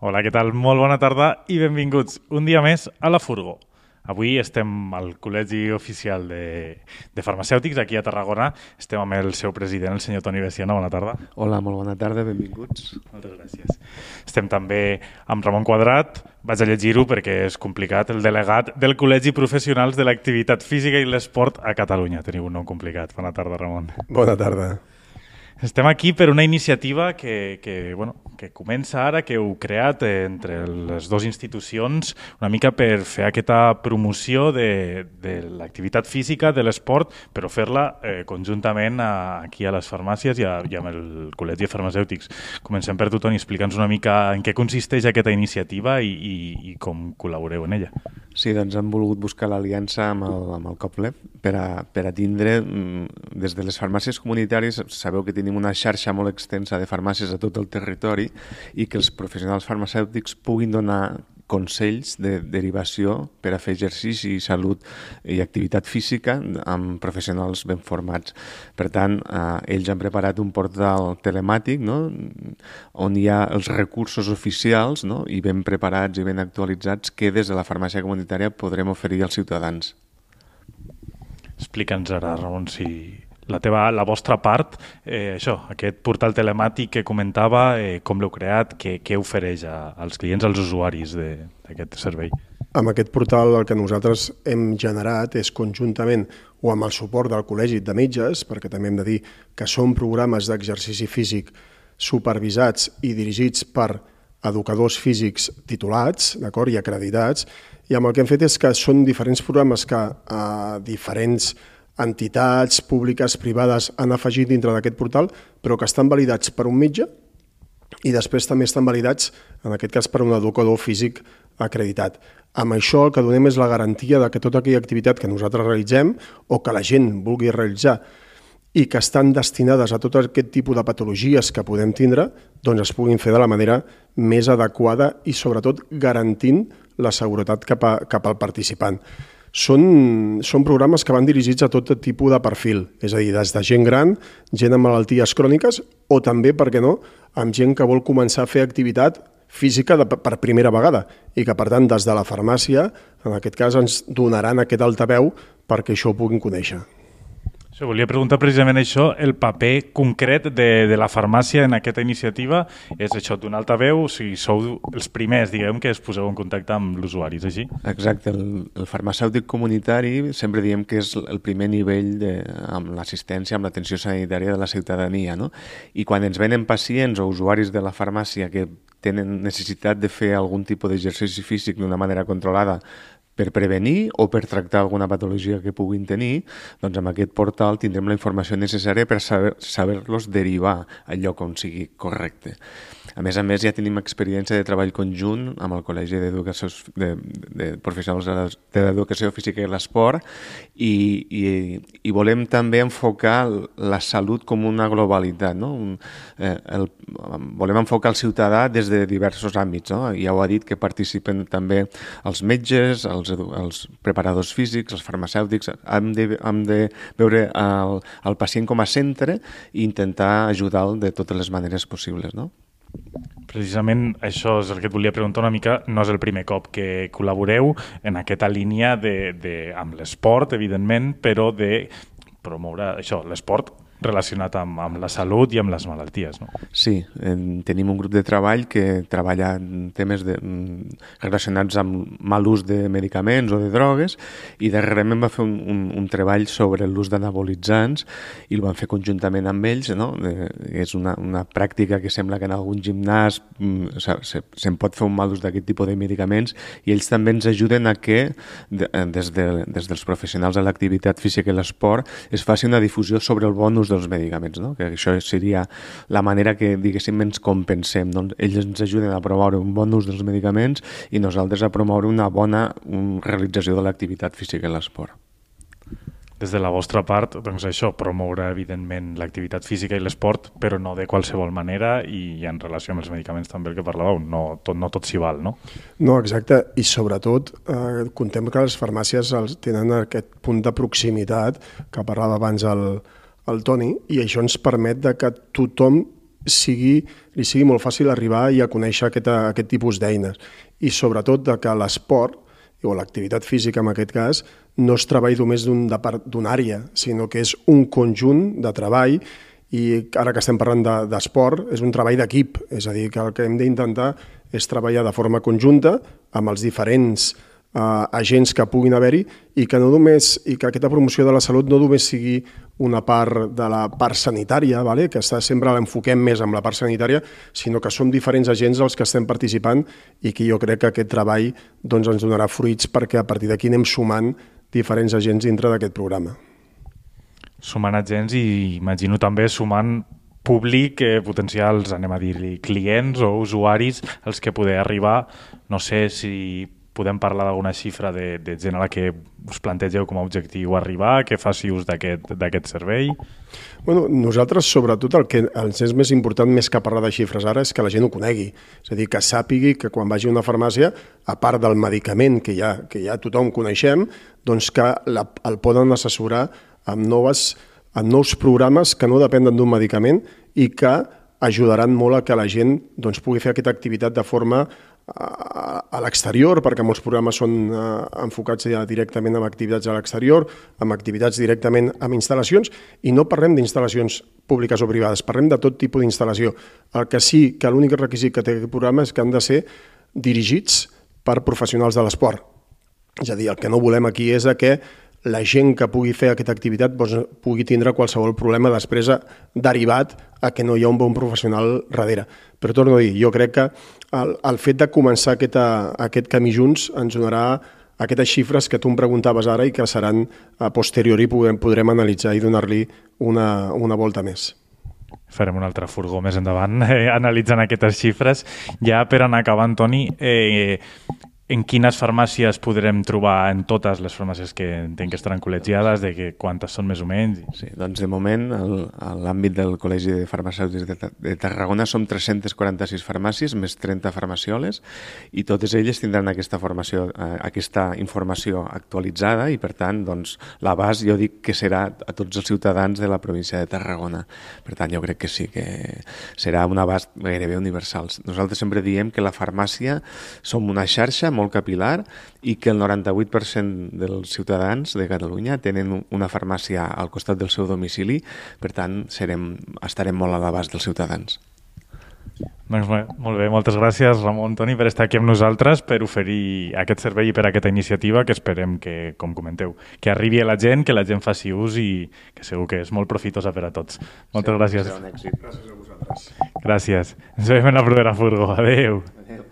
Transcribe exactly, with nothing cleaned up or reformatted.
Hola, què tal? Molt bona tarda i benvinguts un dia més a La Furgo. Avui estem al Col·legi Oficial de, de Farmacèutics, aquí a Tarragona. Estem amb el seu president, el senyor Toni Veciana. Bona tarda. Hola, molt bona tarda, benvinguts. Moltes gràcies. Estem també amb Ramon Quadrat. Vaig a llegir-ho perquè és complicat. El delegat del Col·legi Professionals de l'Activitat Física i l'Esport a Catalunya. Teniu un nom complicat. Bona tarda, Ramon. Bona tarda. Estem aquí per una iniciativa que, que, bueno, que comença ara, que heu creat entre les dues institucions, una mica per fer aquesta promoció de, de l'activitat física, de l'esport, però fer-la eh, conjuntament a, aquí a les farmàcies i, a, i amb el Col·legi de Farmacèutics. Comencem per tu, Toni, explica'ns una mica en què consisteix aquesta iniciativa i, i, i com col·laboreu en ella. Sí, doncs hem volgut buscar l'aliança amb el, amb el COPLEF per a, per a tindre, des de les farmàcies comunitàries, sabeu que tenim una xarxa molt extensa de farmàcies a tot el territori i que els professionals farmacèutics puguin donar consells de derivació per a fer exercici i salut i activitat física amb professionals ben formats. Per tant, eh, ells han preparat un portal telemàtic, no?, on hi ha els recursos oficials, no?, i ben preparats i ben actualitzats que des de la farmàcia comunitària podrem oferir als ciutadans. Explica'ns ara, Ramon, si la teva, la vostra part, eh, això, aquest portal telemàtic que comentava, eh, com l'heu creat, què, què ofereix a, als clients, als usuaris d'aquest servei? Amb aquest portal el que nosaltres hem generat és conjuntament o amb el suport del Col·legi de Metges, perquè també hem de dir que són programes d'exercici físic supervisats i dirigits per educadors físics titulats, d'acord, i acreditats, i amb el que hem fet és que són diferents programes que a diferents entitats públiques, privades, han afegit dintre d'aquest portal, però que estan validats per un metge i després també estan validats, en aquest cas, per un educador físic acreditat. Amb això el que donem és la garantia de que tota aquella activitat que nosaltres realitzem o que la gent vulgui realitzar i que estan destinades a tot aquest tipus de patologies que podem tindre, doncs es puguin fer de la manera més adequada i sobretot garantint la seguretat cap, a, cap al participant. Són, són programes que van dirigits a tot tipus de perfil, és a dir, des de gent gran, gent amb malalties cròniques o també, per què no, amb gent que vol començar a fer activitat física de, per primera vegada i que, per tant, des de la farmàcia, en aquest cas, ens donaran aquest altaveu perquè això ho puguin conèixer. Això, volia preguntar precisament això, el paper concret de, de la farmàcia en aquesta iniciativa és això, donar altaveu, o sigui, sou els primers, diguem, que es poseu en contacte amb l'usuari, és així? Exacte, el, el farmacèutic comunitari sempre diem que és el primer nivell de, amb l'assistència, amb l'atenció sanitària de la ciutadania, no? I quan ens venen pacients o usuaris de la farmàcia que tenen necessitat de fer algun tipus d'exercici físic d'una manera controlada per prevenir o per tractar alguna patologia que puguin tenir, doncs amb aquest portal tindrem la informació necessària per saber, saber-los derivar al lloc on sigui correcte. A més a més, ja tenim experiència de treball conjunt amb el Col·legi d'Educació de, de Professionals de l'Educació Física i l'Esport i, i, i volem també enfocar la salut com una globalitat, no? Un, eh, el, volem enfocar el ciutadà des de diversos àmbits, no? Ja ho ha dit que participen també els metges, els, els preparadors físics, els farmacèutics. Hem de, hem de veure el, el pacient com a centre i intentar ajudar-lo de totes les maneres possibles, no? Precisament això és el que et volia preguntar una mica. No és el primer cop que col·laboreu en aquesta línia de, de, amb l'esport, evidentment, però de promoure això, l'esport relacionat amb, amb la salut i amb les malalties, no? Sí, en, tenim un grup de treball que treballa en temes de, relacionats amb mal ús de medicaments o de drogues i darrerament va fer un, un, un treball sobre l'ús d'anabolitzants i el van fer conjuntament amb ells, no? De, és una, una pràctica que sembla que en algun gimnàs mm, se, se, se'n pot fer un mal ús d'aquest tipus de medicaments i ells també ens ajuden a que de, des, de, des dels professionals de l'activitat física i l'esport es faci una difusió sobre el bon ús dels medicaments, no? Que això seria la manera que, diguéssim, ens compensem. Doncs ells ens ajuden a promoure un bon ús dels medicaments i nosaltres a promoure una bona un, realització de l'activitat física i l'esport. Des de la vostra part, doncs això, promoure evidentment l'activitat física i l'esport, però no de qualsevol manera i en relació amb els medicaments també el que parlàveu, no tot, no tot s'hi val, no? No, exacte, i sobretot eh, contem que les farmàcies els tenen aquest punt de proximitat que parlava abans el, el Toni, i això ens permet de que tothom sigui, li sigui molt fàcil arribar i a conèixer aquest, aquest tipus d'eines. I sobretot de que l'esport, o l'activitat física en aquest cas, no es treballi només d'una un, àrea, sinó que és un conjunt de treball i ara que estem parlant d'esport, de, és un treball d'equip, és a dir, que el que hem d'intentar és treballar de forma conjunta amb els diferents eh, agents que puguin haver-hi i que no només i que aquesta promoció de la salut no només sigui una part de la part sanitària, vale? Que està sempre l'enfoquem més amb la part sanitària, sinó que som diferents agents els que estem participant i que jo crec que aquest treball doncs, ens donarà fruits perquè a partir d'aquí anem sumant diferents agents dintre d'aquest programa. Sumant agents i imagino també sumant públic, eh, potencials, anem a dir-li, clients o usuaris als que poder arribar. No sé si podem parlar d'alguna xifra de, de gent a la que us plantegeu com a objectiu arribar, que faci ús d'aquest servei? Bueno, nosaltres, sobretot, el que ens és més important, més que parlar de xifres ara, és que la gent ho conegui. És a dir, que sàpigui que quan vagi a una farmàcia, a part del medicament que ja, que ja tothom coneixem, doncs que la, el poden assessorar amb, noves, amb nous programes que no depenen d'un medicament i que ajudaran molt a que la gent doncs, pugui fer aquesta activitat de forma a l'exterior, perquè molts programes són eh, enfocats ja directament en activitats a l'exterior, amb activitats directament amb instal·lacions, i no parlem d'instal·lacions públiques o privades, parlem de tot tipus d'instal·lació. El que sí que l'únic requisit que té aquest programa és que han de ser dirigits per professionals de l'esport. És a dir, el que no volem aquí és que la gent que pugui fer aquesta activitat doncs, pugui tindre qualsevol problema després derivat a que no hi ha un bon professional darrere. Però torno a dir, jo crec que el, el fet de començar aquest, aquest camí junts ens donarà aquestes xifres que tu em preguntaves ara i que seran a posteriori podrem, podrem analitzar i donar-li una, una volta més. Farem un altre furgó més endavant eh, analitzant aquestes xifres. Ja per anar acabant, Toni, eh, en quines farmàcies podrem trobar en totes les farmàcies que entenc que estaran col·legiades, de que quantes són més o menys? Sí, doncs de moment, a l'àmbit del Col·legi de Farmacèutics de Tarragona som tres-centes quaranta-sis farmàcies, més trenta farmacioles, i totes elles tindran aquesta formació, aquesta informació actualitzada i, per tant, doncs, l'abast jo dic que serà a tots els ciutadans de la província de Tarragona. Per tant, jo crec que sí, que serà un abast gairebé universal. Nosaltres sempre diem que la farmàcia som una xarxa molt capilar i que el noranta-vuit per cent dels ciutadans de Catalunya tenen una farmàcia al costat del seu domicili, per tant serem, estarem molt a l'abast dels ciutadans. Doncs molt bé, moltes gràcies Ramon, Toni, per estar aquí amb nosaltres, per oferir aquest servei i per aquesta iniciativa que esperem que, com comenteu, que arribi a la gent, que la gent faci ús i que segur que és molt profitosa per a tots. Moltes sí, gràcies. Gràcies a vosaltres. Gràcies. Ens veiem en la propera furgo. Adéu. Adéu.